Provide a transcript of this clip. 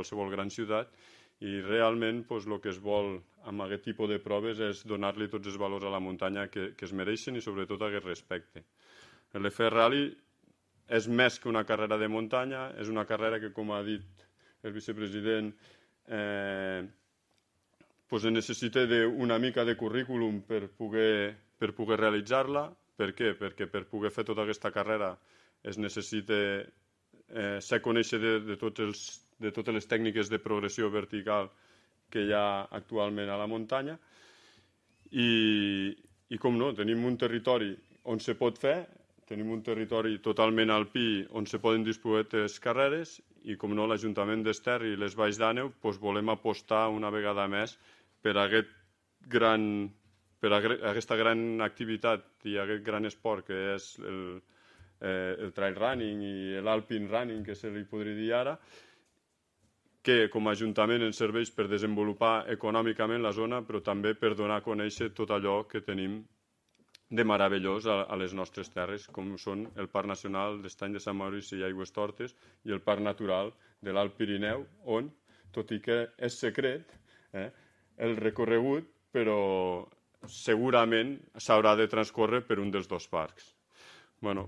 qualsevol gran ciutat, i realment el que es vol amb aquest tipus de proves és donar-li tots els valors a la muntanya que es mereixen i sobretot aquest respecte. L'FR Rally és més que una carrera de muntanya, és una carrera que, com ha dit el vicepresident, necessita una mica de currículum per poder realitzar-la. Per què? Perquè per poder fer tota aquesta carrera es necessita ser conèixer de totes les tècniques de progressió vertical que hi ha actualment a la muntanya i com no, tenim un territori on se pot fer, tenim un territori totalment alpí on se poden disputar les carreres i com no, l'Ajuntament d'Ester i les Valls d'Àneu volem apostar una vegada més per aquesta gran activitat i aquest gran esport que és el trail running i l'alpine running, que se li podria dir ara, que com a Ajuntament ens serveix per desenvolupar econòmicament la zona, però també per donar a conèixer tot allò que tenim de meravellós a les nostres terres, com són el Parc Nacional d'Estany de Sant Maurici i Aigüestortes i el Parc Natural de l'Alt Pirineu, on, tot i que és secret, el recorregut, però segurament s'haurà de transcórrer per un dels dos parcs.